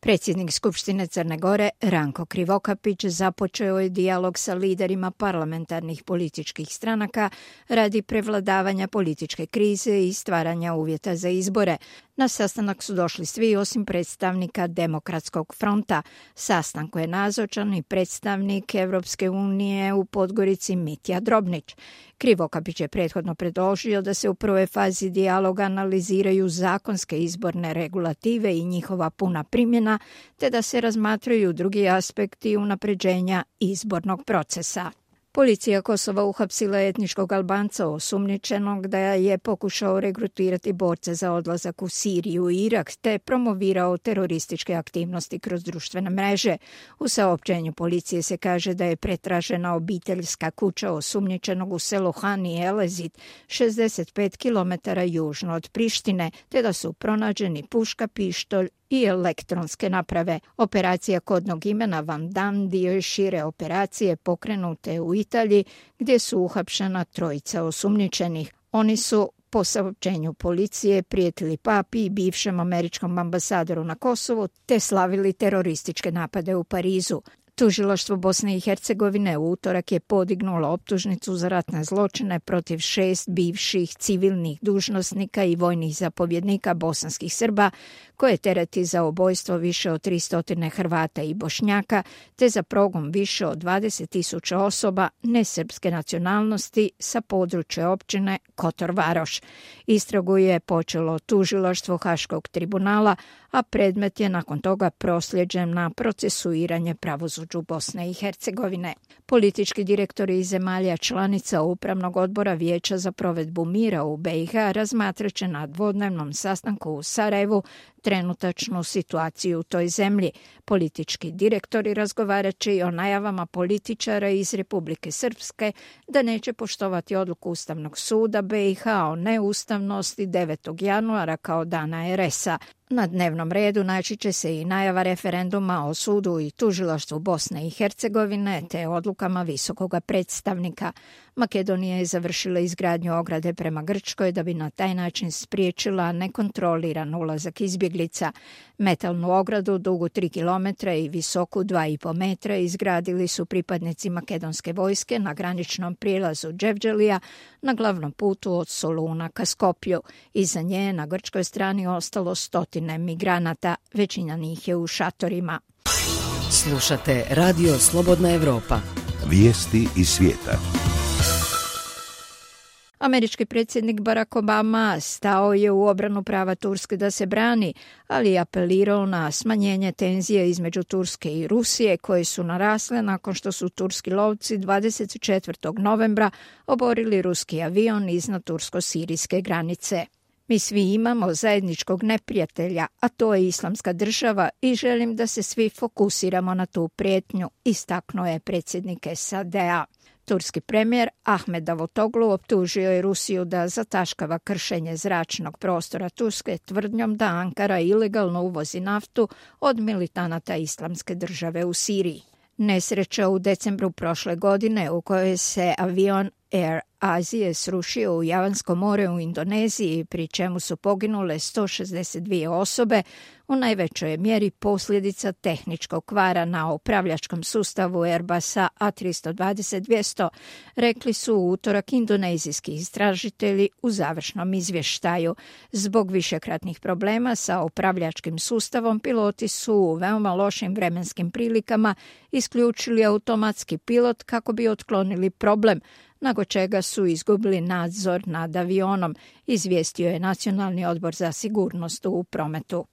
Predsjednik Skupštine Crne Gore Ranko Krivokapić započeo je dijalog sa liderima parlamentarnih političkih stranaka radi prevladavanja političke krize i stvaranja uvjeta za izbore. Na sastanak su došli svi osim predstavnika Demokratskog fronta. Sastanku je nazočan i predstavnik Evropske unije u Podgorici Mitja Drobnić. Krivokapić je prethodno predložio da se u prvoj fazi dijaloga analiziraju zakonske izborne regulative i njihova puna primjena, te da se razmatraju drugi aspekti unapređenja izbornog procesa. Policija Kosova uhapsila etničkog Albanca osumnjičenog da je pokušao regrutirati borce za odlazak u Siriju i Irak te promovirao terorističke aktivnosti kroz društvene mreže. U saopćenju policije se kaže da je pretražena obiteljska kuća osumnjičenog u selu Hani Elezit, 65 km južno od Prištine, te da su pronađeni puška, pištolj i elektronske naprave. Operacija kodnog imena Van Dam dio je šire operacije pokrenute u Italiji gdje su uhapšena trojica osumnjičenih. Oni su po saopćenju policije prijetili papi i bivšem američkom ambasadoru na Kosovu te slavili terorističke napade u Parizu. Tužilaštvo Bosne i Hercegovine u utorak je podignulo optužnicu za ratne zločine protiv 6 bivših civilnih dužnosnika i vojnih zapovjednika bosanskih Srba, koje tereti za ubojstvo više od 300 Hrvata i Bošnjaka, te za progon više od 20.000 osoba nesrpske nacionalnosti sa područja općine Kotor Varoš. Istragu je počelo tužilaštvo Haškog tribunala, a predmet je nakon toga prosljeđen na procesuiranje pravosuđu Bosne i Hercegovine. Politički direktori iz zemalja članica Upravnog odbora Vijeća za provedbu mira u BiH razmatraće na dvodnevnom sastanku u Sarajevu trenutačnu situaciju u toj zemlji. Politički direktori razgovarat će i o najavama političara iz Republike Srpske da neće poštovati odluku Ustavnog suda BiH o neustavnosti 9. januara kao dana RS-a. Na dnevnom redu naći će se i najava referenduma o sudu i tužilaštvu Bosne i Hercegovine te odlukama visokoga predstavnika. Makedonija je završila izgradnju ograde prema Grčkoj da bi na taj način spriječila nekontroliran ulazak izbjeglica. Metalnu ogradu dugu 3 km i visoku 2,5 metra izgradili su pripadnici makedonske vojske na graničnom prijelazu Dževđelija na glavnom putu od Soluna ka Skopju. Iza nje na grčkoj strani ostalo stotine migranata, većina njih je u šatorima. Slušate Radio Slobodna Evropa. Vijesti iz svijeta. Američki predsjednik Barack Obama stao je u obranu prava Turske da se brani, ali je apelirao na smanjenje tenzije između Turske i Rusije koje su narasle nakon što su turski lovci 24. novembra oborili ruski avion iznad tursko-sirijske granice. Mi svi imamo zajedničkog neprijatelja, a to je Islamska država i želim da se svi fokusiramo na tu prijetnju, istaknuo je predsjednik SAD-a. Turski premijer Ahmed Davutoglu optužio je Rusiju da zataškava kršenje zračnog prostora Turske tvrdnjom da Ankara ilegalno uvozi naftu od militanata Islamske države u Siriji. Nesreća u decembru prošle godine u kojoj se avion Air Azije srušio u Javansko more u Indoneziji, pri čemu su poginule 162 osobe, u najvećoj je mjeri posljedica tehničkog kvara na upravljačkom sustavu Airbusa A320-200, rekli su u utorak indonezijski istražitelji u završnom izvještaju. Zbog višekratnih problema sa upravljačkim sustavom, piloti su u veoma lošim vremenskim prilikama isključili automatski pilot kako bi otklonili problem, nakon čega su izgubili nadzor nad avionom, izvijestio je Nacionalni odbor za sigurnost u prometu.